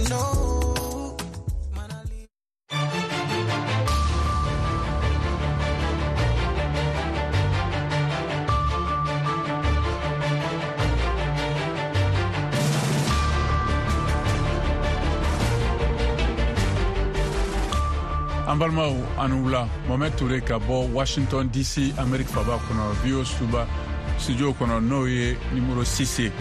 Know. An balimaw, a ni wula. Mohamɛd Ture ka bɔ Washington DC, Amerique faba kɔnɔ, VOA suba studio kɔnɔ, n'o ye numéro 6 ye.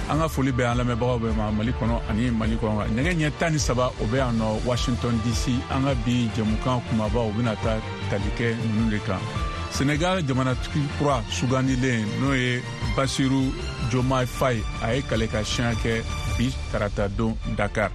An ka foli bɛ an lamɛnbagaw bɛɛ ma Mali kɔnɔ ani Mali kɔnɔ. Nɛgɛ ɲɛ 13, o bɛ yan nɔ Washington DC. An ka bi jɛmukan kumabaw bɛna taa tali kɛ ninnu de kan: Senegal jamanatigi kura sugandilen, n'o ye Basiru Diomaye Faye, a ye kale ka siɲɛ kɛ bi tarata don Dakar.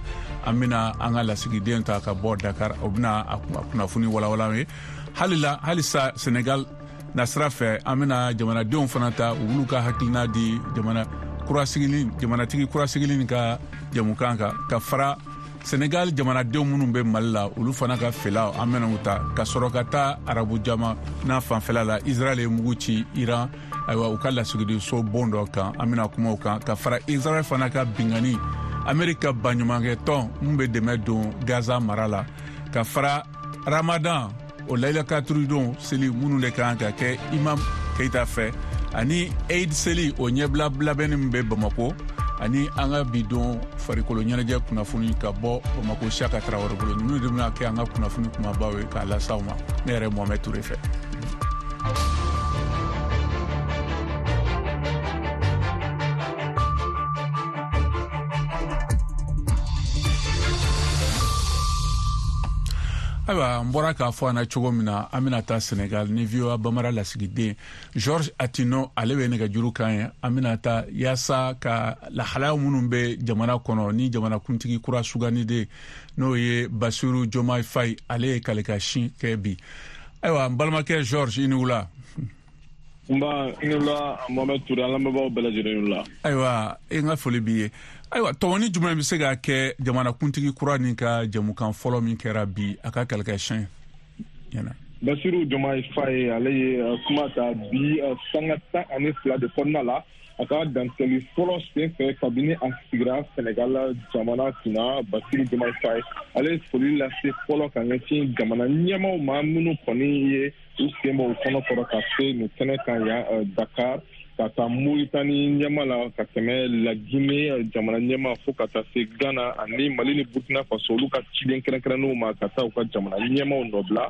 An bɛna an ka lasigiden ta ka bɔ Dakar, o bɛna a kunnafoni walawala ye. Halila halisa Senegal nasira fɛ, an bɛna jamanadenw fana ta, u b'olu ka hakilina di jamana kurasigili, jamanatigi kurasigili ka jamukan kan, ka fara Senegal jamanadenw minnu bɛ Mali la, olu fana ka fɛlaw, an bɛna u ta, ka sɔrɔ ka taa arabu jamana fanfɛla la. Israel ye mugu ci Iran, ayiwa, u ka lasigidenso bon dɔ kan, an bɛna kuma o kan, ka fara Israel fana ka bingani Amerika ka baɲumankɛ tɔn mun bɛ dɛmɛ don Gaza mara la, ka fara Ramadan, o layilakaturidon seli minnu de kan ka kɛ Imam Keita fɛ, ani Eid seli, o ɲɛbila labɛnni min bɛ Bamako, ani an ka bi don farikolo ɲɛnajɛ kunnafoni ka bɔ Bamako, Siyaka Tarawele bolo. Ninnu de bɛna kɛ an ka kunnafoni kumabaw ye k'a las'aw ma, ne yɛrɛ Mohamɛd Ture fɛ. Ayiwa, n bɔra k'a fɔ an na cogo min na, an bɛna taa Senegal ni VOA Bamara lasigiden George Atino, ale bɛ nɛgɛjuru kan ye. An bɛna taa yaasa ka lahalaya minnu bɛ jamana kɔnɔ ni jamanakuntigi kura sugandiden, n'o ye Basiru Diomaye Faye, ale ye kalikasin kɛ bi. Ayiwa, n balimakɛ George, i ni wula. Nba, i ni wula Mohamed Touré, an lamɛnbagaw bɛɛ lajɛlen ni wula. Ayiwa, e n ka foli b'i ye. Ayiwa, tɔmɔni jumɛn bɛ se ka kɛ jamanakuntigi kura nin ka jɛmukan fɔlɔ min kɛra bi, a ka kalikasiyɛn ɲɛna? Basiru Diomaye Faye, ale ye kuma ta bi sanga 12 de kɔnɔna la, a ka dantigɛli fɔlɔ sen fɛ kabini a sigira Senegal jamana kunna. Basiru Diomaye Faye, ale ye foli lase fɔlɔ ka ɲɛsin jamana ɲɛmaaw ma minnu kɔni ye u sen bɔ u kɔnɔ kɔrɔ ka se nin kɛnɛ kan yan Dakar, ka taa Moritani ɲɛma la, ka tɛmɛ Lagine jamana ɲɛma, fo ka taa se Ghana ani Mali ni Burkina Faso, olu ka ciden kɛrɛnkɛrɛnnenw ma, ka taa u ka jamana ɲɛmaw nɔbila.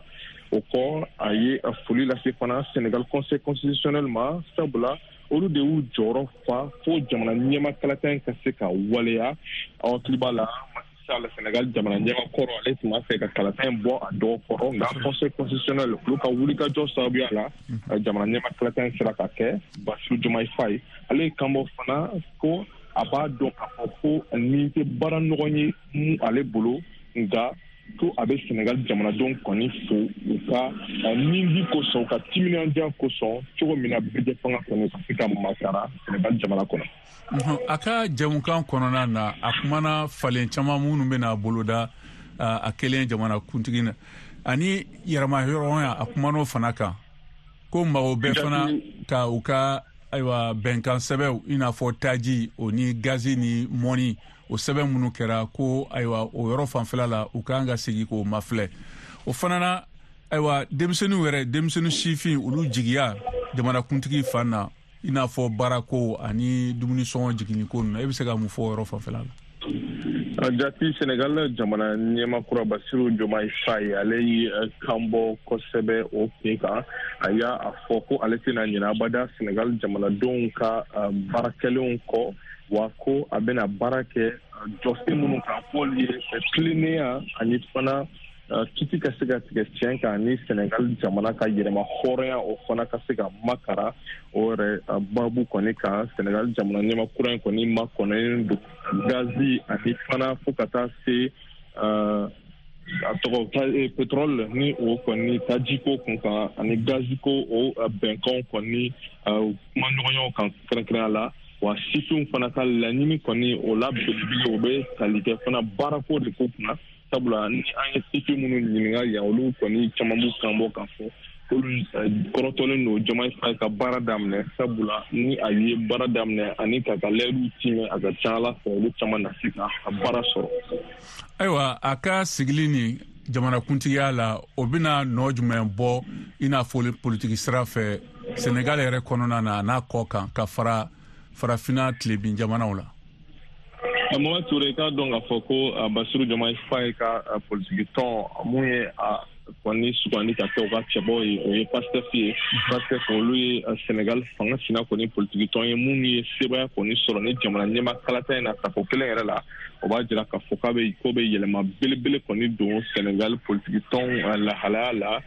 O kɔ, a ye foli lase fana Senegal Conseil constitutionnel ma, sabula olu de y'u jɔyɔrɔ fa fo jamana ɲɛma kalata in ka se ka waleya. Aw hakili b'a la, Sall, Senegal jamana ɲɛma kɔrɔ, ale tun b'a fɛ ka kalata in bɔ a dɔgɔ kɔrɔ, nka Conseil constitutionnel, olu ka wulikajɔ sababuya la, jamana ɲɛma kalata in sera ka kɛ. Bassirou Diomaye Faye, ale ye kanbɔ fana ko a b'a dɔn k'a fɔ ko nin tɛ baara nɔgɔn ye mun ale bolo, nka ko a bɛ Senegal jamanadenw kɔni fo u ka nindi kosɔn, u ka timinandiya kosɔn, cogo min na bɛɛ fanga kɔni ka se ka makara Senegal jamana kɔnɔ. A ka jɛmukan kɔnɔna na, a kumana falen caman minnu bɛna boloda a kelen jamana kuntigi na, ani yɛrɛmahɔrɔnya, a kuman'o fana kan, ko mago bɛɛ fana ka u ka, ayiwa, bɛnkan sɛbɛnw, i n'a fɔ taji o ni gazi ni mɔni, o sɛbɛn minnu kɛra, ko ayiwa, o yɔrɔ fanfɛla la, u kan ka segin k'o mafilɛ. O fana na, ayiwa, denmisɛnninw yɛrɛ, denmisɛnnin sifin, olu jigiya jamanakuntigi fan na, i n'a fɔ baarako ani dumuni sɔngɔ jiginni ko ninnu, e bɛ se ka mun fɔ o yɔrɔ fanfɛla la? Jati, Senegal jamana ɲɛma kura Basiru Diomaye Faye, ale ye kan bɔ kosɛbɛ o kun kan. A y'a a fɔ ko ale tɛna ɲinɛ abada Senegal jamanadenw ka baara kɛlenw kɔ, wa ko a bɛna baara kɛ jɔsen minnu kan, k'olu ye tilennenya ani fana kiti ka se ka tigɛ tiɲɛ kan, ni Senegal jamana ka yɛrɛma hɔrɔnya, o fana ka se ka makara. O yɛrɛ babu kɔni kan, Senegal jamana ɲɛma kura in kɔni makɔnɔnen don gazi ani fana fo ka taa se a tɔgɔ pétrole ni o kɔni tajiko kun kan ani gaziko, o bɛnkanw kɔni kumaɲɔgɔnyaw kan kɛrɛnkɛrɛnya la. Wa sifinw fana ka laɲini kɔni, o la belebele, o bɛ tali kɛ fana baarako de ko kunna, sabula ni an ye sifin minnu ɲininka yan, olu kɔni caman b'u kan bɔ k'a fɔ Olu kɔrɔtɔlen don Diomaye Faye ka baara daminɛ, sabula ni a ye baara daminɛ ani k'a ka layiduw tiimɛ, a ka ca Ala fɛ, olu caman na se ka baara sɔrɔ. Ayiwa, a ka sigili ni jamanakuntigiya la, o bɛna nɔ jumɛn bɔ, i n'a fɔ politiki sira fɛ, Senegal yɛrɛ kɔnɔna na, n'a kɔ kan, ka fara Farafina tilebin jamanaw la? Mohamed Touré, k'a dɔn k'a fɔ ko Bassirou Diomaye Faye ka politiki tɔn mun ye a kɔni sugandi ka kɛ u ka cɛbɔ ye, o ye Pastef ye. Pastef, olu ye Senegal fanga sina kɔni politiki tɔn ye minnu ye sebaya kɔni sɔrɔ ni jamana ɲɛma kalata in na tako kelen yɛrɛ la. O b'a jira k'a fɔ k'a bɛ ko bɛ yɛlɛma belebele kɔni don Senegal politiki tɔn lahalaya la,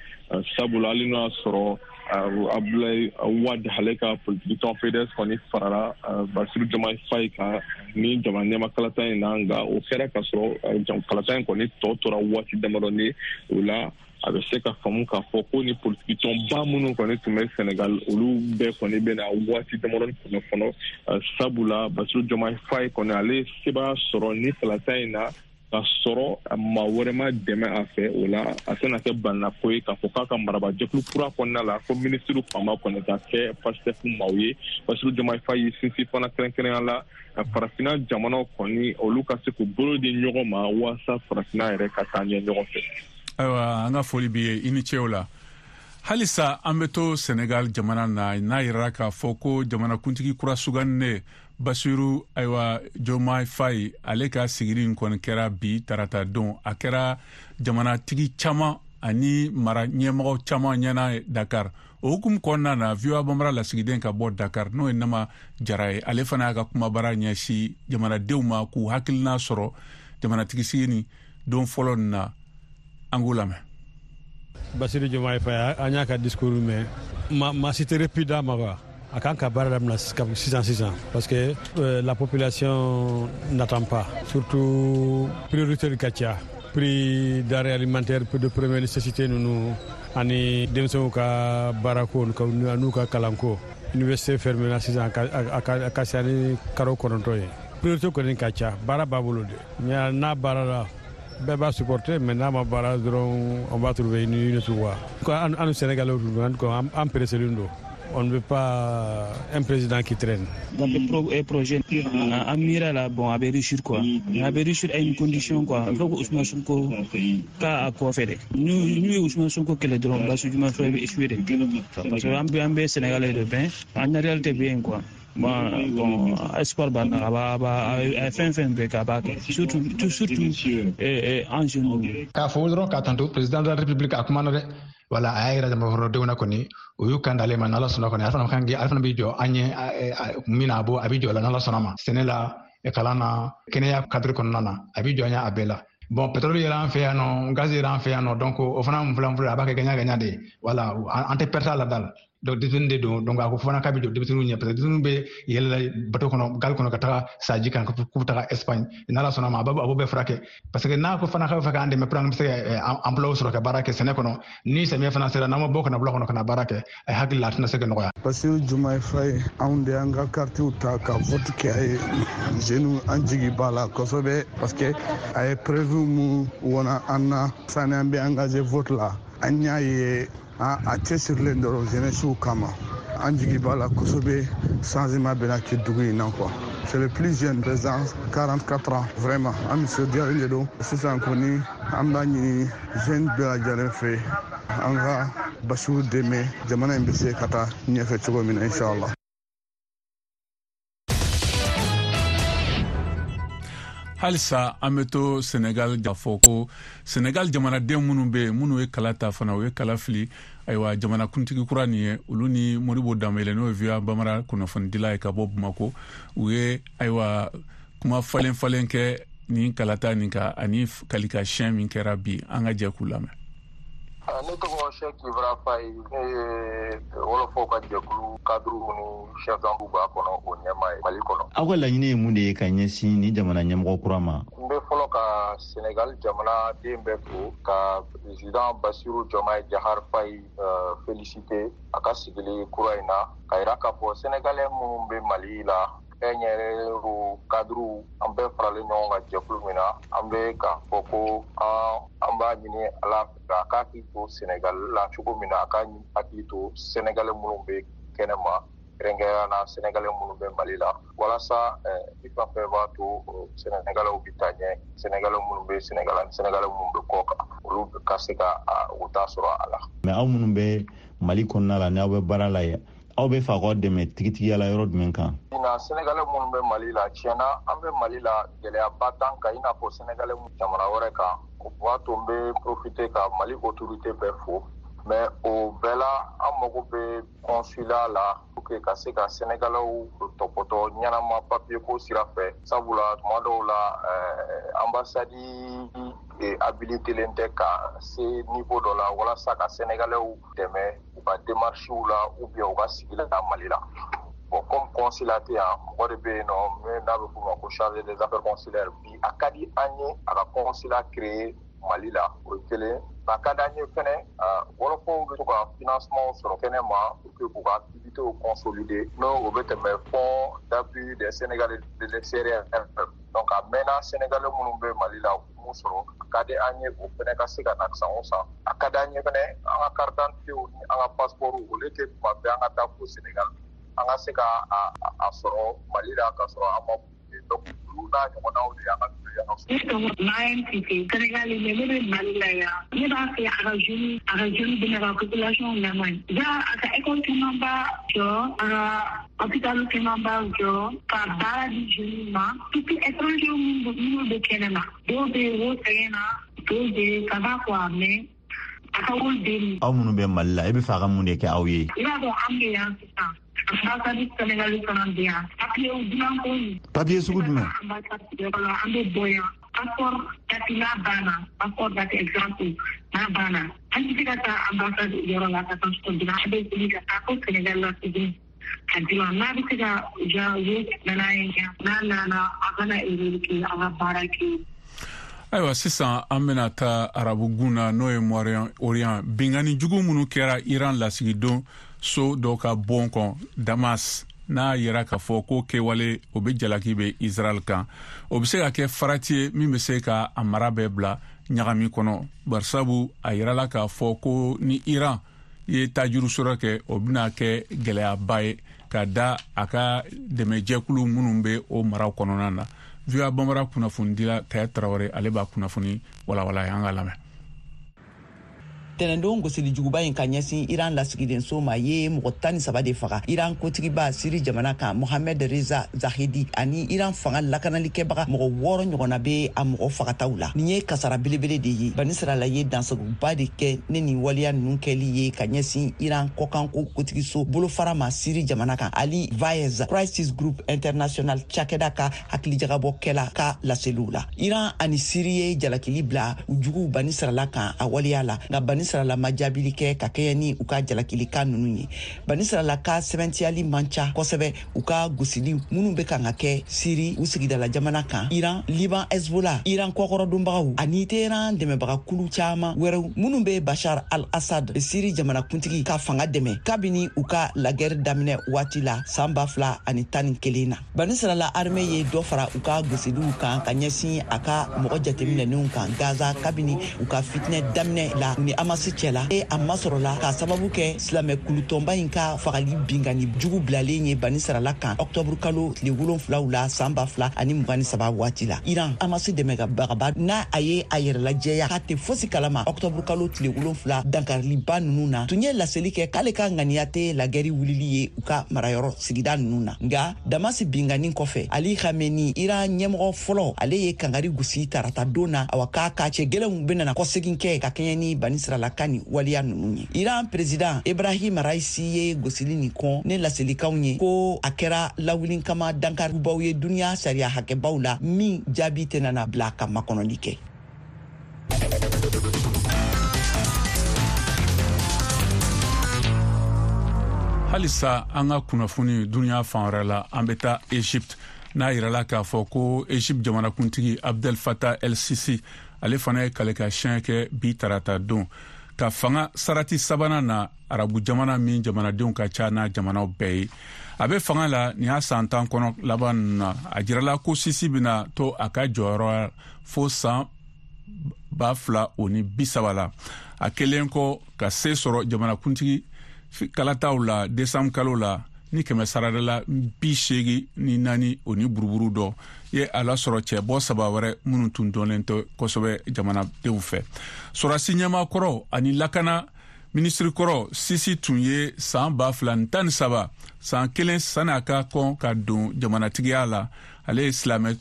sabula hali n'o y'a sɔrɔ Abdoulaye Wade, ale ka politiki tɔn PDS kɔni farala Bassirou Diomaye Faye kan ni jamana ɲɛma kalata in na, nka o kɛra ka sɔrɔ kalata in kɔni tɔ tora waati damadɔni. O la, a bɛ se ka faamu k'a fɔ ko ni politiki tɔnba minnu kɔni tun bɛ Senegal, olu bɛɛ kɔni bɛna waati damadɔni kɔnɔ fɔlɔ, sabula Bassirou Diomaye Faye kɔni, ale sebaya sɔrɔ ni kalata in na ka sɔrɔ maa wɛrɛ ma dɛmɛ a fɛ. O la, a tɛna kɛ balannako ye k'a fɔ k'a ka marabajɛkulu kura kɔnɔna la, ko minisiriw fanba kɔni ka kɛ Pastef maaw ye. Bassirou Diomaye Faye y'i sinsin fana kɛrɛnkɛrɛnya la, Farafinna jamanaw kɔni, olu ka se k'u bolo di ɲɔgɔn ma walasa Farafinna yɛrɛ ka taa ɲɛ ɲɔgɔn fɛ. Ayiwa, an ka foli b'i ye, i ni ce o la. Halisa an bɛ to Senegal jamana na, n'a yirara k'a fɔ ko jamanakuntigi kura sugandinen Bassirou, ayiwa, Diomaye Faye, ale ka sigili in kɔni kɛra bi tarata don. A kɛra jamanatigi caman ani mara ɲɛmɔgɔ caman ɲɛna Dakar. O hukumu kɔnɔna na, VOA Bambara lasigiden ka bɔ Dakar, n'o ye Nama Jara ye, ale fana y'a ka kumabara ɲɛsin jamanadenw ma k'u hakilina sɔrɔ jamanatigi sigi ni don fɔlɔ nin na. An k'u lamɛn. Bassirou Diomaye Faye, an y'a ka discours mɛn, ma si tɛ répit d'a ma quoi. A kan ka baara daminɛ sisan sisan, parce que la population n'attend pas. Surtout priorité ka ca, prix denrées alimentaires de première nécessité ninnu, ani denmisɛnw ka baarako n'u ka kalanko. Université fermé la sisan, a ka ca ni karo 9 ye. Priorité kɔni ka ca, baara b'a bolo de. N'a baara la, bɛɛ b'a supporter, mais n'a ma baara dɔrɔn, on va trouver une autre voie. An Sénégalais, an pressé don. On ne veut pas un président qui traîne. Dans le projet, an miira la, bon, a bɛ réussir quoi. A bɛ réussir à une condition quoi. Il faut que Ousmane Sonko ka a kɔfɛ dɛ. N'u ye Ousmane Sonko kɛlɛ dɔrɔn, Bassirou Diomaye Faye bɛ échouer dɛ. Parce que an bɛ Sénégalais de bɛn, an réalité bɛ yen quoi. Bon, espoir b'an na, a b'a a b'a a ye fɛn fɛn bɛɛ kɛ, a b'a kɛ. Surtout an jeunes. K'a fɔ dɔrɔn k'a tanto président de la République, a kumana dɛ. Wala a y'a yira jamanakɔnɔdenw na kɔni, o y'u kan d'ale ma. N'Ala sɔnna kɔni, ale fana kan, ale fana b'i jɔ an ɲɛ min na, a b'o a b'i jɔ la n'Ala sɔnna ma, sɛnɛ la, kalan na, kɛnɛya cadre kɔnɔna na, a b'i jɔ an ɲɛ a bɛɛ la. Bon, pétrole yɛrɛ an fɛ yan nɔ, gaz yɛrɛ an fɛ yan nɔ, donc o fana mun filɛ, a b'a kɛ gagnant gagnant de ye. Wala an tɛ perte a la da la. Donc denmisɛnnin de don, donc a ko fana k'a bɛ jɔ denmisɛnninw ɲɛ, parce que denmisɛnninw bɛ yɛlɛla bateau kɔnɔ, gali kɔnɔ, ka taga saji kan k'u bɛ taga Espagne. N'Ala sɔnna ma, a b'o bɛɛ furakɛ, parce que n'a ko fana k'a bɛ fɛ k'an dɛmɛ pour an bɛ se ka emploi sɔrɔ ka baara kɛ sɛnɛ kɔnɔ, ni samiyɛ fana sera, n'an ma bɔ ka na wula kɔnɔ ka na baara kɛ, a hakili la a tɛna se ka nɔgɔya. Bassirou Diomaye Faye, anw de y'an ka kartiw ta ka vote kɛ a ye. Jeunes, an jigi b'a la kosɛbɛ, parce que a ye preuve mun wana an na sani an bɛ engagé vote la, an y'a ye a cɛsirilen dɔrɔn jeunesse kama. An jigi b'a la kosɛbɛ, changement bɛna kɛ dugu in na quoi. C'est le plus jeune président, 44 ans. Vraiment, an nisɔndiyalen de don. Sisan kɔni, an b'a ɲini jeune bɛɛ lajɛlen fɛ, an ka Bassirou dɛmɛ, jamana in bɛ se ka taa ɲɛfɛ cogo min na, inshallah. Halisa an bɛ to Senegal, k'a fɔ ko Senegal jamanaden minnu bɛ yen, minnu ye kala ta fana, u ye kala fili, ayiwa, jamanakuntigi kura nin ye, olu ni Modibo Danbele, n'o ye VOA Bambara kunnafonidila ye ka bɔ Bamako, u ye, ayiwa, kuma falen falen kɛ nin kalata nin kan ani kalika siɲɛ min kɛra bi. An ka jɛ k'u lamɛn. Ne tɔgɔ Cheikh Ibra Faye, ne ye wɔlɔfɔw ka jɛkulu cadre ni chef d'angle b'a kɔnɔ, o ɲɛmaa ye Mali kɔnɔ. Aw ka laɲini ye mun de ye ka ɲɛsin ni jamana ɲɛmɔgɔ kura ma? N bɛ fɔlɔ ka Senegal jamanaden bɛɛ fo, ka président Bassirou Diomaye Diakhar Faye féliciter a ka sigili kura in na, ka yira k'a fɔ Sénégalais minnu bɛ Mali la, kɛnyɛrɛyew, cadre, an bɛɛ faralen ɲɔgɔn kan jɛkulu min na, an bɛ k'a fɔ ko an An b'a ɲini Ala fɛ a k'a hakili to Senegal la cogo min na, a k'a hakili to Sénégalais minnu bɛ kɛnɛma, kɛrɛnkɛrɛnnenya la Sénégalais minnu bɛ Mali la, walasa fɛn fɛn b'a to Sénégalais bɛ taa ɲɛ, Sénégalais minnu bɛ Sénégal ani Sénégalais minnu bɛ kɔ kan, olu ka se ka u ta sɔrɔ a la. Mais aw minnu bɛ Mali kɔnɔna la, n'aw bɛ baara la yen, aw bɛ fɛ k'aw dɛmɛ tigitigiya la yɔrɔ jumɛn kan? Na Sénégalais minnu bɛ Mali la, tiɲɛna an bɛ Mali la, gɛlɛyaba t'an kan i n'a fɔ Sénégalais jamana wɛrɛ kan. O b'a to n bɛ profiter ka Mali autorité bɛɛ fo. Mais o bɛɛ la, an mago bɛ consulat la pour que ka se ka Sénégalais tɔpɔtɔ ɲɛnama papier ko sira fɛ, sabula tuma dɔw la ambassade habilitélen tɛ ka se niveau dɔ la walasa ka Sénégalais dɛmɛ u ka démarches la ou bien u ka sigi la Mali la. Bon, comme consulat tɛ yan, mɔgɔ de bɛ yen nɔ min n'a bɛ f'o ma ko chargé des affaires consulaires. Bi a ka di an ye a ka consulat créer Mali la, o ye kelen. A ka d'an ye fɛnɛ, wɔlɔfɔw bɛ to ka financement sɔrɔ kɛnɛ ma pour que k'u ka activités consolider, n'o o bɛ tɛmɛ Fonds d'appui des Sénégalais de l'extérieur. Donc a mɛnna, Sénégalais minnu bɛ Mali la, u mun sɔrɔ, a ka di an ye o fɛnɛ ka se ka na san o san. A ka di an ye fɛnɛ, an ka carte d'identité ni an ka passeport, olu tɛ tuma bɛɛ an ka taa fo Sénégal, an ka se ka a sɔrɔ Mali la ka sɔrɔ an ma. Donc olu n'a ɲɔgɔnnaw de y'an ka. Ne tɔgɔ Mariam Cissé, Sénégal, mais ne bɛ Mali la yan. Ne b'a fɛ a ka jeune dɛmɛ ka population lamɛn. Ja a ka école camanba jɔ, a ka hôpital camanba jɔ, ka baara di jeune ma, surtout étranger minnu bɛ kɛnɛ ma. Dɔw bɛ yen, o sɛgɛn na, dɔw bɛ yen, ça va quoi, mais a ka wari den. Aw minnu bɛ Mali la, e bɛ fɛ a ka mun de kɛ aw ye? I b'a dɔn, an bɛ yan sisan, ambassade Sénégal fana bɛ yan. Papier dilan ko. Papier sugu jumɛn? Ambassade yɔrɔ la, an bɛ bɔ yan. Passeport date n'a banna, passeport date exemple n'a banna, an tɛ se ka taa ambassade yɔrɔ la ka passeport dilan. An bɛ wuli ka taa fo Sénégal la tuguni ka dilan. N'a bɛ se ka ja na n'a ye yan, n'a nana, a kana erreur kɛ, a ka baara kɛ. Ayiwa, sisan an bena taa Arabu gun na, n'o ye Moyen Orient. Bingani jugu minnu kɛra Iran lasigidon so dɔ ka bon kɔn Damas, n'a yɛrɛ k'a fɔ ko kɛwale o be jalaki bɛ Israel kan, o be se ka kɛ farati ye min be se ka a mara bɛɛ bila ɲagami kɔnɔ, barisabu a yirala k'a fɔ ko ni Iran ye tajuru sɔrɔ kɛ, o bena kɛ gwɛlɛyaba ye ka da a ka dɛmɛjɛkulu minnu be o maraw kɔnɔna na. VOA Bambara kunnafonidila Kaya Tarawele, ale b'a kunnafoni walawala ye, an ka lamɛn. Tɛnɛndon gosili juguba in ka ɲɛsin Iran lasigidenso ma ye mɔgɔ 13 de faga. Iran kotigiba Siri jamana kan, Mohamed Reza Zahedi, ani Iran fanga lakanalikɛbaga mɔgɔ 6 ɲɔgɔnna be a mɔgɔ fagataw la. Nin ye kasara belebele de ye. Banisirala ye dansagoba de kɛ ne nin waleya nunu kɛli ye ka ɲɛsin Iran kɔkanko kotigiso bolofara ma Siri jamana kan. Ali Vaez, Crisis Group International cakɛda ka hakilijagabɔkɛla ka laseliw la, Iran ani Siri ye jalakili bila u juguw Banisirala kan a waleya la, nka Banisirala ma jaabili kɛ ka kɛɲɛ ni u ka jalakilikan nunu ye. Banisirala ka sɛbɛntiyali man ca kosɛbɛ u ka gosili minnu bɛ kan ka kɛ Siri, u sigidala jamana kan. Iran, Liban Hezbollah, Iran kɔkɔrɔdonbagaw ani Teheran dɛmɛbagakulu caaman wɛrɛw minnu bɛ Bashar al Assad, Siri jamanakuntigi ka fanga dɛmɛ kabini u ka lagɛri daminɛ waati la san 2011 na. Banisirala armée ye dɔ fara u ka gosiliw kan ka ɲɛsin a ka mɔgɔ jateminɛnenw kan Gaza kabini u ka fitinɛ daminɛ la ni Hamasi cɛ la e a masɔrɔla k'a sababu kɛ silamɛ kulutɔnba in ka fagali bingani jugu bilalen ye Banisirala kan ɔktɔburu kalo tile 7 la san 2023 waati la. Iran, Hamasi dɛmɛbagaba, n'a a ye a yɛrɛlajɛya k'a tɛ fosi kalama ɔktɔburu kalo tile 7 dankariliba nunu na, tun ye laseli kɛ k'ale ka ŋaniya tɛ lagɛri wulili ye u ka marayɔrɔ sigida nunu na. Nga Damasi bingani kɔfɛ, Ali Khamenei, Iran ɲɛmɔgɔ fɔlɔ, ale ye kangari gosi tarata don na, awa k'a ka cɛ gwɛlɛnw benana kɔsegin kɛ ka kɛɲɛ ni Banisirala ka nin waleya nunu ye. Iran président Ibrahim Raisi ye gosili nin kɔn ne laselikanw ye ko a kɛra lawuli kama dankaribaw ye duniɲa sariya hakɛbaw la, min jaabi tɛna bila ka makɔnɔli kɛ. Halisa an ka kunnafoni duniɲa fan wɛrɛ la, an bɛ taa Egypte, n'a yirala k'a fɔ ko Egypte jamanakuntigi Abdel Fattah El Sisi, ale fana ye kaleka siɲɛ kɛ bi tarata don ka fanga sarati sabanan na Arabu jamana min jamanadenw ka ca n'a jamanaw bɛɛ ye. A bɛ fanga la nin y'a san 10 kɔnɔ laban ninnu na. A jirala ko Sisi bɛna to a ka jɔyɔrɔ fo san 2030 la. A kɛlen kɔ ka se sɔrɔ jamanakuntigi kalataw la desanburu kalo la ni kɛmɛ sarada la 84 o ni buruburu dɔ ye a lasɔrɔ cɛbɔ saba wɛrɛ minnu tun dɔnnen tɛ kosɛbɛ jamanadenw fɛ. Sɔrɔdasi ɲɛmaa kɔrɔ ani lakana minisiri kɔrɔ Sisi tun ye san 2013, san kelen sani a ka kɔn ka don jamanatigiya la, ale ye silamɛ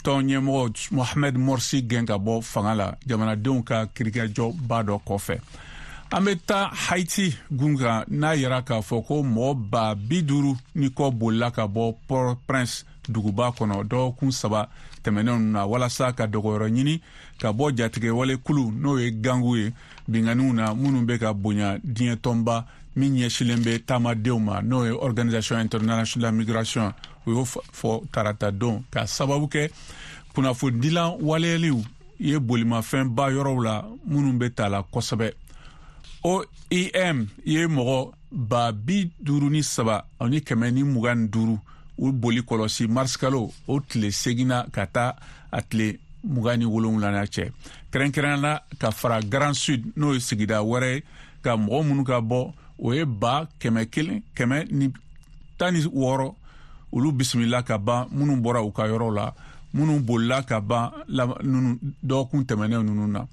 tɔn ɲɛmɔgɔ Mohamed Morsi gɛn ka bɔ fanga la jamanadenw ka kirikɛjɔba dɔ kɔfɛ. An bɛ taa Haiti gun kan, n'a yira k'a fɔ ko mɔgɔ 50,000 ni kɔ bolila ka bɔ Port-au-Prince duguba kɔnɔ dɔgɔkun 3 tɛmɛnenw na walasa ka dogoyɔrɔ ɲini ka bɔ jatigɛwale kulu, n'o ye gangu ye, binkanniw na minnu bɛ ka bonya diɲɛ tɔnba min ɲɛsilen bɛ taamadenw ma, n'o ye Organisation internationale de la migration. O y'o fɔ tarata don ka sababu kɛ kunnafonidilan waleyaliw ye bolimafɛnba yɔrɔw la minnu bɛ ta la kosɛbɛ. OIM ye mɔgɔ 53,125 u boli kɔlɔsi marisikalo o tile 8 ka taa a tile 27 cɛ, kɛrɛnkɛrɛnnenya la ka fara Grand Sud, n'o ye sigida wɛrɛ ye, ka mɔgɔ minnu ka bɔ, o ye 116,000 olu bisimila ka ban, minnu bɔra u ka yɔrɔ la, minnu bolila ka ban dɔgɔkun tɛmɛnen ninnu na.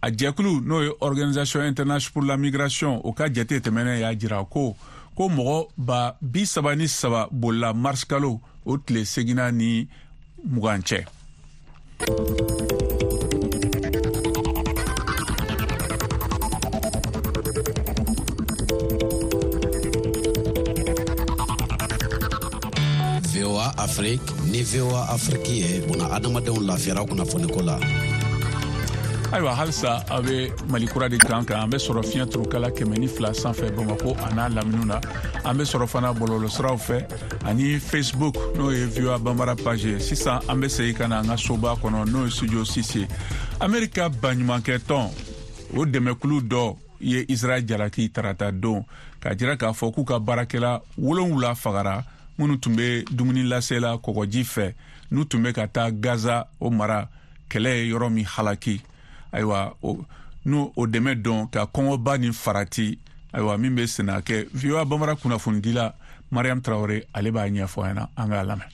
A jɛkulu, n'o ye Organisation internationale pour la migration, o ka jate tɛmɛnen y'a jira ko mɔgɔ 33,000 bolila marisikalo o tile 8 ni 20 cɛ. VOA Afrique ni VOA Afrique ye buna adamadenw lafiyara kunnafoniko la. Ayiwa, halisa a bɛ Mali kura de kan kan. An bɛ sɔrɔ fiɲɛ turukala 102 sanfɛ Bamako a n'a laminiw na. An bɛ sɔrɔ fana bɔlɔlɔsiraw fɛ ani Facebook, n'o ye VOA Bambara page ye. Sisan an bɛ segin ka na an ka soba kɔnɔ, n'o ye studio 6 ye. Amerika baɲumankɛ tɔn o dɛmɛkulu dɔ ye Israɛl jalaki tarata don k'a jira k'a fɔ k'u ka baarakɛla 7 fagara minnu tun bɛ dumuni lasela kɔgɔji fɛ, n'u tun bɛ ka taa Gaza o mara kɛlɛ ye yɔrɔ min halaki. Ayiwa, n'o o dɛmɛ dɔn ka kɔngɔba ni farati, ayiwa, min bɛ senna kɛ. VOA Bambara kunnafonidila Mariam Traoré, ale b'a ɲɛfɔ an ɲɛna, an k'a lamɛn.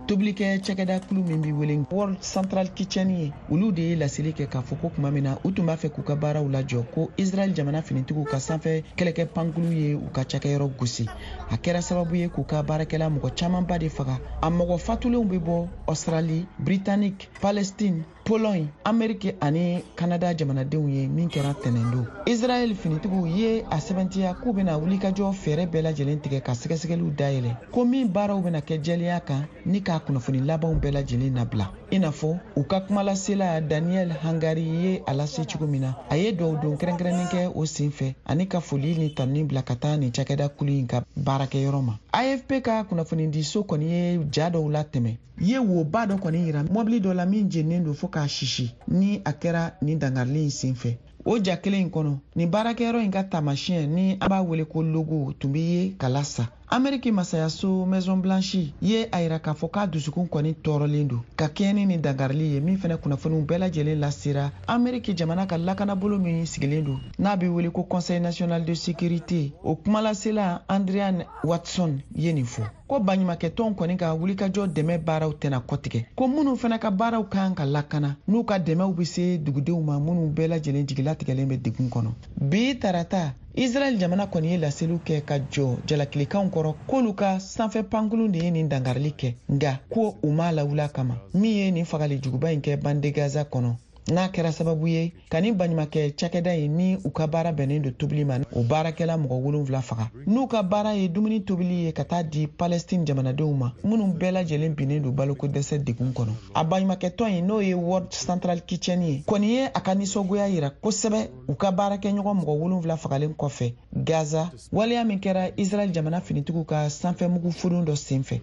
Tobilikɛ cakɛda kulu min bɛ wele World Central Kitchen ye, olu de ye laseli kɛ k'a fɔ ko tuma min na u tun b'a fɛ k'u ka baaraw lajɔ, ko Israɛl jamana finitigiw ka sanfɛ kɛlɛkɛ pankulu ye u ka cakɛyɔrɔ gosi. A kɛra sababu ye k'u ka baarakɛla mɔgɔ camanba de faga. A mɔgɔ fatulenw bɛ bɔ Australie, Britannique, Palestine, Pologne, Amérique ani Canada jamanadenw ye, min kɛra tɛnɛndon. Israɛl finitigiw ye a sɛbɛntiya k'u bɛna wulikajɔ fɛɛrɛ bɛɛ lajɛlen tigɛ ka sɛgɛsɛgɛliw dayɛlɛ, ko min baaraw bɛna kɛ jɛlenya kan ni k'a kunnafoni labanw bɛɛ lajɛlen nabila. I n'a fɔ u ka kumalasela Daniel Hagari ye a lase cogo min na, a ye duwawu don kɛrɛnkɛrɛnnen kɛ o sen fɛ ani ka foli ni tanuni bila ka taa nin cakɛda kulu in ka baarakɛyɔrɔ ma. AFP ka kunnafonidiso kɔni ye ja dɔw latɛmɛ, ye woba dɔ kɔni yira mɔbili dɔ la min jeninen don fo k'a sisi ni a kɛra nin dankarili in sen fɛ. O ja kelen in kɔnɔ, nin baarakɛyɔrɔ in ka taamasiyɛn ni an b'a wele ko logo tun bɛ ye ka lasa. Ameriki masayaso Maison Blanche ye a yira k'a fɔ k'a dusukun kɔni tɔɔrɔlen don ka kɛɲɛ ni nin dankarili ye, min fɛnɛ kunnafoniw bɛɛ lajɛlen lasera Ameriki jamana ka lakanabolo min sigilen don n'a bɛ wele ko Conseil national de sécurité. O kumalasela Adrienne Watson ye nin fɔ ko baɲumankɛtɔnw kɔni ka wulikajɔ dɛmɛ baaraw tɛna kɔtigɛ, ko minnu fana ka baaraw kan ka lakana n'u ka dɛmɛw bɛ se dugudenw ma minnu bɛɛ lajɛlen jigilatigɛlen bɛ degun kɔnɔ. Bi tarata, Israɛl jamana kɔni ye laseliw kɛ ka jɔ jalakilikanw kɔrɔ k'olu ka sanfɛ pankurun de ye nin dankarili kɛ, nka ko u m'a lawuli a kama min ye nin fagali juguba in kɛ bande Gaza kɔnɔ, n'a kɛra sababu ye ka nin baɲumankɛ cakɛda in ni u ka baara bɛnnen don tobili ma, o baarakɛla mɔgɔ 7 faga, n'u ka baara ye dumuni tobili ye ka taa di Palestine jamanadenw ma minnu bɛɛ lajɛlen binnen don baloko dɛsɛ degun kɔnɔ. A baɲumankɛtɔn in, n'o ye World Central Kitchen ye, kɔni ye a ka nisɔngoya yira kosɛbɛ u ka baarakɛɲɔgɔn mɔgɔ 7 fagalen kɔfɛ Gaza, waleya min kɛra Israɛl jamana finitigiw ka sanfɛmugu furun dɔ senfɛ.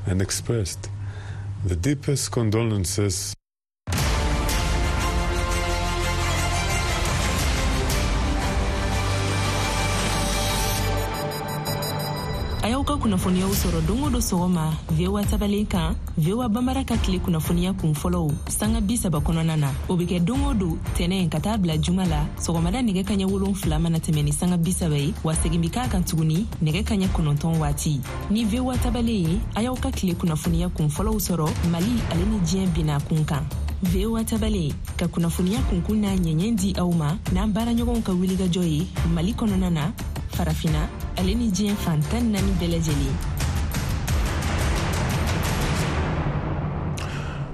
And expressed the deepest condolences. A y'aw ka Kunnafoniyaw sɔrɔ don o don sɔgɔma VOA tabalen kan, VOA Bambara ka tile kunnafoniya kun fɔlɔw sanga 30 kɔnɔna na. O bɛ kɛ don o don tɛnɛ ka taa bila juma la sɔgɔmada nɛgɛ kaɲɛ 7 mana tɛmɛ ni sanga 30 ye, wa segin bɛ k'a kan tuguni nɛgɛ kaɲɛ 9 waati. Ni VOA tabalen ye, a y'aw ka tile kunnafoniya kun fɔlɔw sɔrɔ Mali ale ni diɲɛ bina kun kan. VOA tabalen ka kunnafoniya kunkun n'a ɲɛɲɛ di aw ma n'an baaraɲɔgɔnw ka wulikajɔ ye Mali kɔnɔna na, Farafina ale ni diɲɛ fan 14 bɛɛ lajɛlen.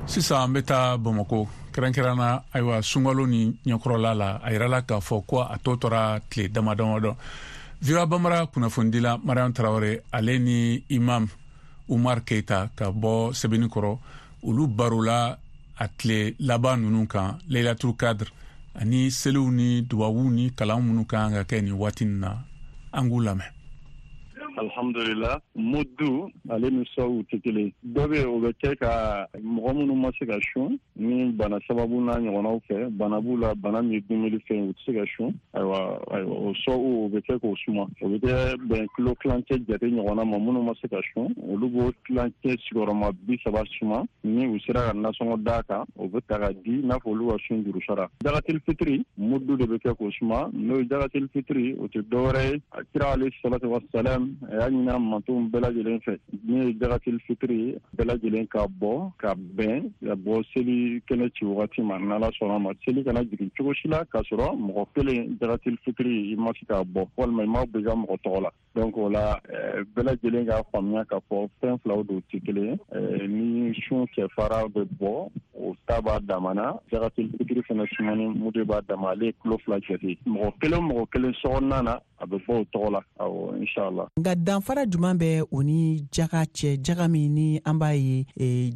Sisan an bɛ taa Bamakɔ, kɛrɛnkɛrɛnna ayiwa sunkalo ni ɲɛkɔrɔla la, a yirala k'a fɔ ko a tɔ tora tile dama damadɔ. VOA Bambara kunnafonidila Mariam Tarawele ale ni Imam Umar Keita ka bɔ Sɛbɛnnikɔrɔ, olu barola a tile laban ninnu kan, Laylatul Qadr ani seliw ni dubabuw ni kalan minnu kan ka kɛ nin waati nin na. An k'u lamɛn. Alhamdulillah, mudu ale ni sɔw tɛ kelen. Dɔ bɛ o bɛ kɛ ka mɔgɔ minnu ma se ka sun ni bana sababu n'a ɲɔgɔnnaw fɛ, bana b'u la, bana min ye dumuni fɛn, u tɛ se ka sun. Ayiwa, o sɔw o bɛ kɛ k'o suma, o bɛ kɛ bɛn kilo tilancɛ jate ɲɔgɔnna ma. Minnu ma se ka sun, olu b'o tilancɛ sigiyɔrɔma 30 suma. Ni u sera ka nasɔngɔ d'a kan, o bɛ ta ka di n'a fɔ olu ka sun juru sara. Jakatil fitiri mudu de bɛ kɛ k'o suma. N'o ye jakatil fitiri, o tɛ dɔwɛrɛ ye, a kira alayhi salatu wassalam a y'a ɲini a mantonw bɛɛ lajɛlen fɛ, min ye jakatil fitiri bɛɛ lajɛlen ka bɔ ka bɛn ka bɔ seli kɛnɛ ci wagati ma. N'Ala sɔnna ma, seli kana jigin cogo si la k'a sɔrɔ mɔgɔ kelen jakatil fitiri i ma se k'a bɔ, walima i ma bɔ i ka mɔgɔ tɔgɔ la. Donc o la bɛɛ lajɛlen k'a faamuya k'a fɔ fɛn filaw don, tɛ kelen ye. Ni sun kɛfara bɛ bɔ, o ta b'a damana. Jakatil fitiri fana sumani mudu b'a dama, ale ye kilo 2 jate. Mɔgɔ kelen sokɔnɔna na, a bɛ bɔ o tɔgɔ la. Awɔ, inshallah. Nka danfara jumɛn bɛ o ni jaga cɛ, jaga min ni an b'a ye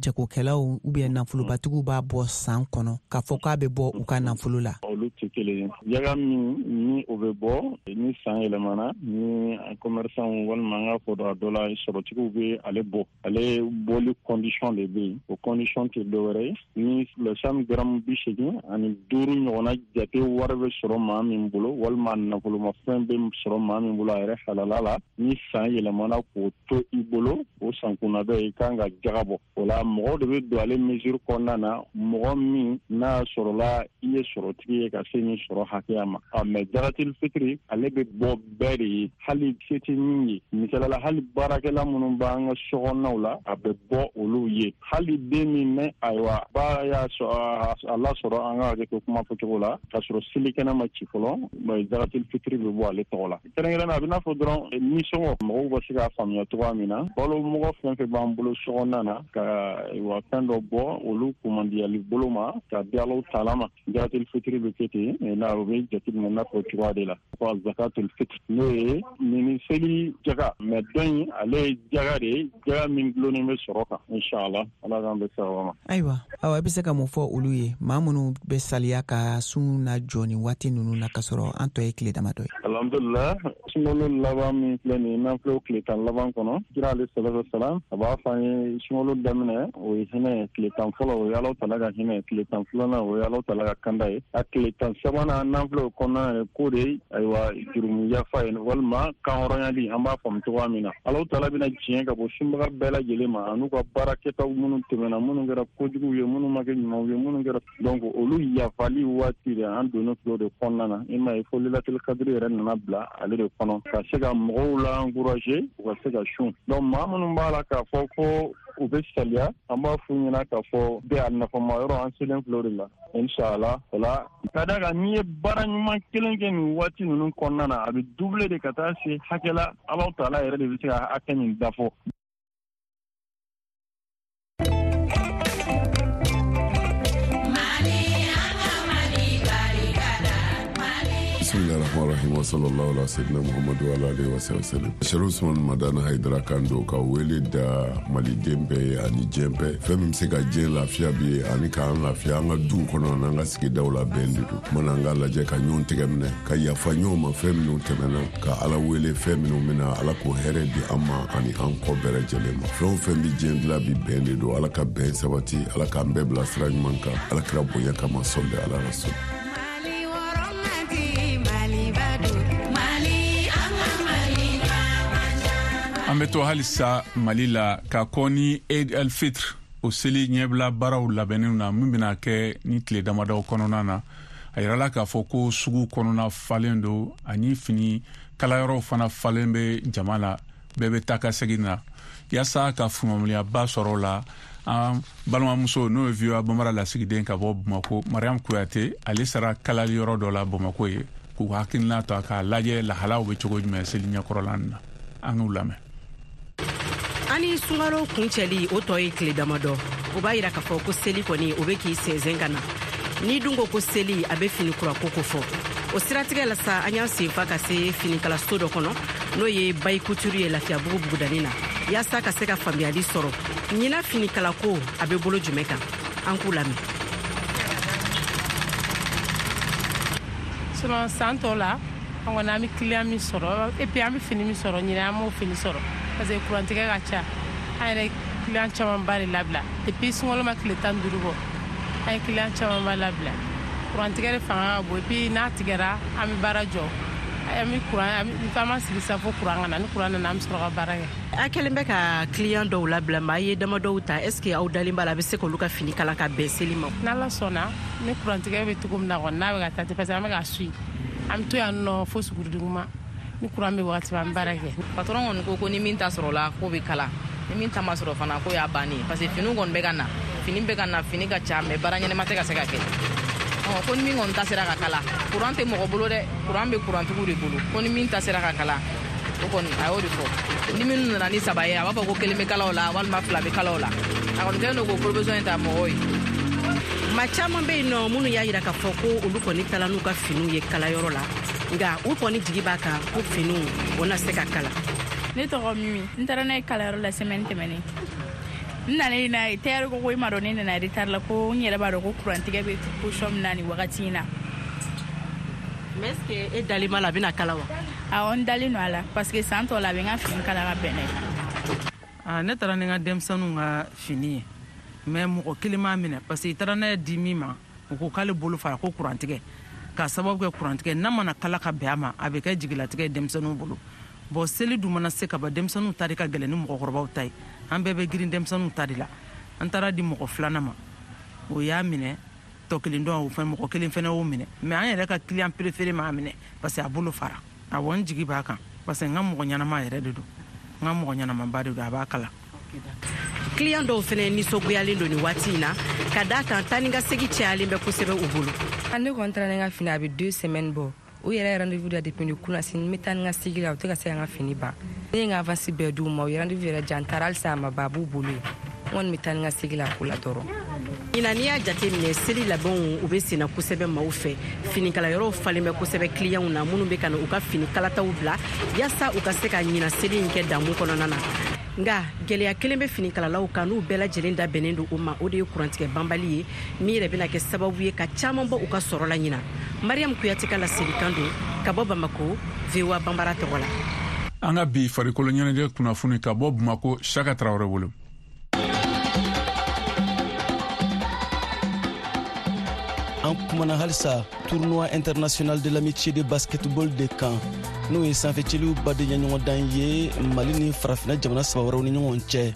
jagokɛlaw ou bien nafolobatigiw b'a bɔ san kɔnɔ k'a fɔ k'a bɛ bɔ u ka nafolo la? Olu tɛ kelen ye. Jaga min ni o bɛ bɔ ni san yɛlɛmana, ni commerçant walima an k'a fɔ a dɔ la sɔrɔtigiw bɛ ale bɔ, ale bɔli condition de bɛ yen. O condition tɛ dɔwɛrɛ ye, ni lɛsam garamu 85 ɲɔgɔnna jate wari bɛ sɔrɔ maa min bolo, walima nafolomafɛn bɛ sɔrɔ maa min bolo a yɛrɛ halala la, ni san yɛlɛmana k'o to i bolo, o sankunna bɛ i kan ka jaga bɔ. O la mɔgɔw de bɛ don ale mesure kɔnɔna na, mɔgɔ min n'a sɔrɔla i ye sɔrɔtigi ye ka se nin sɔrɔ hakɛya ma. Mais jakatil fitiri ale bɛ bɔ bɛɛ de ye, hali se tɛ min ye. Misali la, hali baarakɛla minnu b'an ka sokɔnɔnaw la, a bɛ bɔ olu ye. Hali den min ni ayiwa ba y'a a lasɔrɔ, an ka hakɛ to kuma fɔcogo la, k'a sɔrɔ selikɛnɛ ma ci fɔlɔ, jakatil fitiri bɛ bɔ ale tɔgɔ la. Kɛrɛnkɛrɛnnenya a bɛ n'a fɔ dɔrɔn nisɔngɔ, mɔgɔw bɛ se k'a faamuya cogoya min na, balo mɔgɔ fɛn fɛn b'an bolo sokɔnɔna na, ka wa fɛn dɔ bɔ olu kumandiyali bolo ma ka di Alahu taala ma. Jakatil fitiri bɛ kɛ ten, n'a o bɛ jateminɛ n'a fɔ cogoya de la. Ko zakatul fitr, n'o ye nin seli jaga, mais dɔ in ale ye jaga de ye, jaga min gulonnen bɛ sɔrɔ kan. Inshallah, Ala k'an bɛ sababa ma. Ayiwa, awa i bɛ se ka mun fɔ olu ye, maa minnu bɛ saliya ka sun na jɔ nin waati ninnu na k'a sɔrɔ an tɔ ye tile damadɔ ye? Alhamdulillah, sunkalo laban min filɛ nin ye, n'an filɛ o tile 10 laban kɔnɔ, kira alayhi salatu wasalam a b'a fɔ an ye sunkalo daminɛ o ye hinɛ ye, tile 10 fɔlɔ o ye Alahu taala ka hinɛ ye, tile 10 filanan o ye Alahu taala ka kanda ye, a tile 13 n'an filɛ o kɔnɔna ye, k'o de ayiwa jurumu yafa ye walima kanhɔrɔnyali, an b'a faamu cogoya min na. Alahu taala bɛna diɲɛ ka bɔ sunbaga bɛɛ lajɛlen ma, an'u ka baara kɛtaw minnu tɛmɛna, minnu kɛra kojuguw ye, minnu ma kɛ ɲumanw ye, minnu kɛra donc olu yafali waati de an donnen filɛ o de kɔnɔna na. I m'a ye fo Lailatul Qadr yɛrɛ nana bila ale de kɔnɔ ka se ka mɔgɔw la encourager u ka se ka sun. Donc maa minnu b'a la k'a fɔ ko u bɛ saliya, an b'a f'u ɲɛna k'a fɔ bɛɛ a nafama yɔrɔ an selen filɛ o de la inshallah. O la ka d'a kan n'i ye baara ɲuman kelen kɛ nin waati ninnu kɔnɔna na, a bɛ doubler de ka taa se hakɛ la, Alahu taala yɛrɛ de bɛ se ka hakɛ min dafɔ. Bismillahirrahmanirrahim wa sallallahu ala sayyidina Muhammadu wa ala alihi wa sallam. Sherif Usman Madani Haidara kan don ka wele da maliden bɛɛ ye ani diɲɛ bɛɛ. Fɛn min bɛ se ka diɲɛ lafiya bi ye ani k'an lafiya an ka duw kɔnɔ n'an ka sigidaw la bɛn de don. Mana an k'a lajɛ ka ɲɔgɔn tɛgɛ minɛ, ka yafa ɲɔgɔn ma fɛn minnu tɛmɛna, ka Ala wele fɛn minnu bɛna, Ala k'o hɛrɛ di an ma ani an kɔ bɛɛ lajɛlen ma. Fɛn o fɛn bɛ diɲɛ dilan bi bɛn de don. Ala ka bɛn sabati, Ala k'an bɛɛ bila sira ɲuman kan, Ala kira bonya kama, sɔli ala rasul. An An bɛ to halisa Mali la ka kɔn ni Eid el-Fitr o seli ɲɛbila baaraw labɛnniw na min bɛna kɛ ni tile damadɔw kɔnɔna na. A yirala k'a fɔ ko sugu kɔnɔna falen don ani fini kalayɔrɔw fana falen bɛ jama la, bɛɛ bɛ taa ka segin na. Yaasa ka faamuyaba sɔrɔ o la, an balimamuso n'o ye VOA Bambara lasigiden ka bɔ Bamako, Mariam Kuyate, ale sera kalali yɔrɔ dɔ la Bamako ye k'u hakilina ta k'a lajɛ lahalaw bɛ cogo jumɛn seli ɲɛkɔrɔla nin na. An k'u lamɛn. Ani sunkalo kuncɛli o tɔ ye tile damadɔ, o b'a yira k'a fɔ ko seli kɔni o bɛ k'i sɛnsɛn ka na. N'i dun ko ko seli, a bɛ fini kura ko kofɔ. O siratigɛ la sa, an y'an senfa ka se finikalaso dɔ kɔnɔ n'o ye Bayi Couture ye Lafiyabugu bugudani na, yaasa ka se ka faamuyali sɔrɔ ɲinan finikalako a bɛ bolo jumɛn kan. An k'u lamɛn. Sinon san tɔw la an kɔni an bɛ client min sɔrɔ et puis an bɛ fini min sɔrɔ, ɲinan an m'o fini sɔrɔ parce que kurantigɛ ka ca. An yɛrɛ client camanba de labila depuis sunkalo ma tile 15 bɔ, an ye client camanba labila. Kurantigɛ de fanga ka bon et puis n'a tigɛra an bɛ baara jɔ, an bɛ kuran, an b'an sigi sa fo kuran ka na. Ni kuran nana, an bɛ sɔrɔ ka baara kɛ. A kɛlen bɛ ka client dɔw labila, mais a ye dama dɔw ta. Est ce que aw dalen b'a la a bɛ se k'olu ka fini kala ka bɛn seli ma? N'Ala sɔnna, ni kurantigɛ bɛ cogo min na kɔni, n'a bɛ ka taa ten, parce que an bɛ ka suit, an bɛ to yan nɔ fo suguridugu ni kuran bɛ wagati an bɛ baara kɛ. Patron kɔni ko ko ni min ta sɔrɔla k'o bɛ kala, ni min ta ma sɔrɔ fana k'o y'a bannen ye, parce que finiw kɔni bɛ ka na, fini bɛ ka na, fini ka ca, mais baara ɲɛnama tɛ ka se ka kɛ. Ko ni min kɔni ta sera ka kala, kuran tɛ mɔgɔ bolo dɛ, kuran bɛ kurantigiw de bolo. Ko ni min ta sera ka kala, o kɔni a y'o de fɔ. Ni minnu nana ni 3 ye, a b'a fɔ ko 1 bɛ kala o la walima 2 bɛ kala o la. A kɔni kɛlen don k'o provision in ta mɔgɔw ye. Maa caman bɛ yen nɔ minnu y'a yira k'a fɔ ko olu kɔni taara n'u ka finiw ye kalayɔrɔ la, nka u kɔni jigi b'a kan ko finiw o na se ka kala. Ne tɔgɔ Mimi, n taara n'a ye kalayɔrɔ la semaine tɛmɛnen. N nalen n'a ye, tailleur ko ko i m'a dɔn ne nana retard la, ko n yɛrɛ b'a dɔn ko kurantigɛ bɛ position min na nin wagati in na. Mais est ce que e dalen b'a la a bɛna kala wa? Awɔ, n dalen don a la parce que san tɔ la a bɛ n ka fini kala ka bɛn n'a ye. Ne taara ni n ka denmisɛnninw ka fini ye, mais mɔgɔ kelen m'a minɛ parce que i taara n'a ye di min ma, o ko k'ale bolo fara ko kurantigɛ, k'a sababu kɛ kurantigɛ n'a mana kala ka bɛn a ma, a bɛ kɛ jigilatigɛ ye denmisɛnninw bolo. Bon, seli dun mana se ka ban, denmisɛnninw ta de ka gɛlɛn ni mɔgɔkɔrɔbaw ta ye, an bɛɛ bɛ girin denmisɛnninw ta de la. An taara di mɔgɔ filanan ma, o y'a minɛ, tɔ kelen dɔn o fɛn mɔgɔ kelen fɛnɛ y'o minɛ, mais an yɛrɛ ka client préféré m'a minɛ parce que a bolo fara. Awɔ, n jigi b'a kan parce que n ka mɔgɔ ɲɛnama yɛrɛ de don, n ka mɔgɔ ɲɛnamaba de don, a b'a kala. Client dɔw fɛnɛ nisɔngoyalen don nin waati in na ka d'a kan taa ni ka segin cayalen bɛ kosɛbɛ u bolo. Ne kɔni taara ni n ka fini, a bɛ 2 semaines bɔ. U yɛrɛ ye rendez-vous da depuis ni kunna sini, n bɛ taa ni n ka segin la, u tɛ ka se ka n ka fini ban. Ne ye n ka avance bɛɛ d'u ma, u ye rendez-vous yɛrɛ di yan, n taara halisa a ma ban, a b'u bolo yen. N kɔni bɛ taa ni n ka segin la a ko la dɔrɔn. Ɲinan n'i y'a jateminɛ, seli labɛnw u bɛ senna kosɛbɛ maaw fɛ. Finikalayɔrɔw falen bɛ kosɛbɛ clientw na minnu bɛ ka na u ka fini kalataw bila yaasa u ka se ka ɲinan seli in kɛ damu kɔnɔna na. Nka gɛlɛya kelen bɛ finikalalaw kan n'u bɛɛ lajɛlen da bɛnnen don o ma, o de ye kurantigɛ banbali ye min yɛrɛ bɛna kɛ sababu ye ka caman bɔ u ka sɔrɔ la ɲinan. Mariam Kuyate ka laselikan don ka bɔ Bamako, VOA Bambara tɔgɔ la. An ka bi farikolo ɲɛnajɛ kunnafoni ka bɔ Bamako, Saka Tarawele bolo. An kumana halisa tournoi international de l'amitié de basketball de kan, n'o ye sanfɛcɛliw badenya ɲɔgɔndan ye Mali ni farafinna jamana 3 wɛrɛw ni ɲɔgɔn cɛ.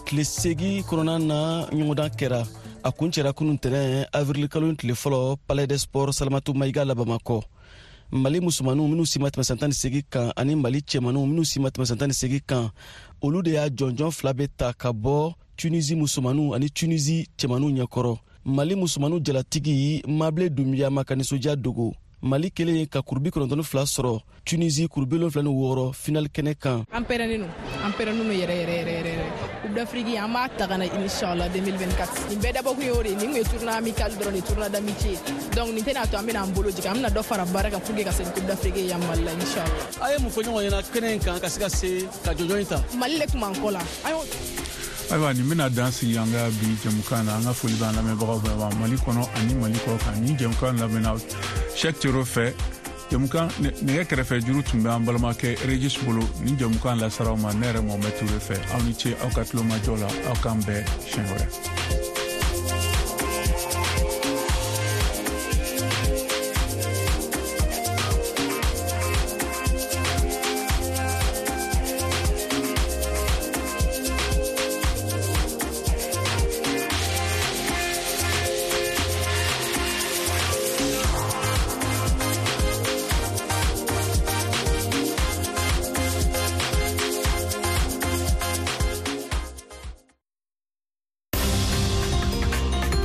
Tile 8 kɔnɔna na ɲɔgɔndan kɛra, a kuncɛra kunun tɛnɛn avril kalo tile fɔlɔ Palais des Sports Salamatu Mayiga la Bamakɔ. Mali musomaninw minnu si ma tɛmɛ san 18 kan ani Mali cɛmaninw minnu si ma tɛmɛ san 18 kan, olu de y'a jɔnjɔn 2 bɛ ta ka bɔ Tunisie musomaninw ani Tunisie cɛmaninw ɲɛkɔrɔ. Mali musomaninw jalatigi Mabile Dunbiya ma ka nisɔndiya dogo. Mali kelen ka kuru 92 sɔrɔ, Tunisie kuru 76 final kɛnɛ kan. An pɛrɛnnen don yɛrɛ yɛrɛ yɛrɛ yɛrɛ. Coupe d'Afrique an b'a ta ka na inchallah 2024. Nin bɛɛ dabɔkun ye o de ye, nin kun ye tournoi amical dɔrɔn de, tournoi d'amitié. Donc nin tɛna to an bɛna an bolo jigin, an bɛna dɔ fara baara kan pour que ka se Coupe d'Afrique ye yan Mali la inchallah. A ye mun fɔ ɲɔgɔn ɲɛna kɛnɛ in kan ka se ka se ka jɔnjɔn in ta? Mali le kun b'an kɔ la. An y'o Ayiwa, nin bɛna dan sigi an ka bi jɛmukan na. An ka foli b'an lamɛnbagaw bɛɛ ma Mali kɔnɔ ani Mali kɔ kan. Nin jɛmukan labɛnna Cheikh Thiero fɛ. Jɛmukan nɛgɛ kɛrɛfɛ juru tun bɛ an balimakɛ Regis bolo. Nin jɛmukan lasara aw ma ne yɛrɛ Mohamed Toure fɛ. Aw ni ce aw ka tulomajɔ la. Aw k'an bɛn siɲɛ wɛrɛ.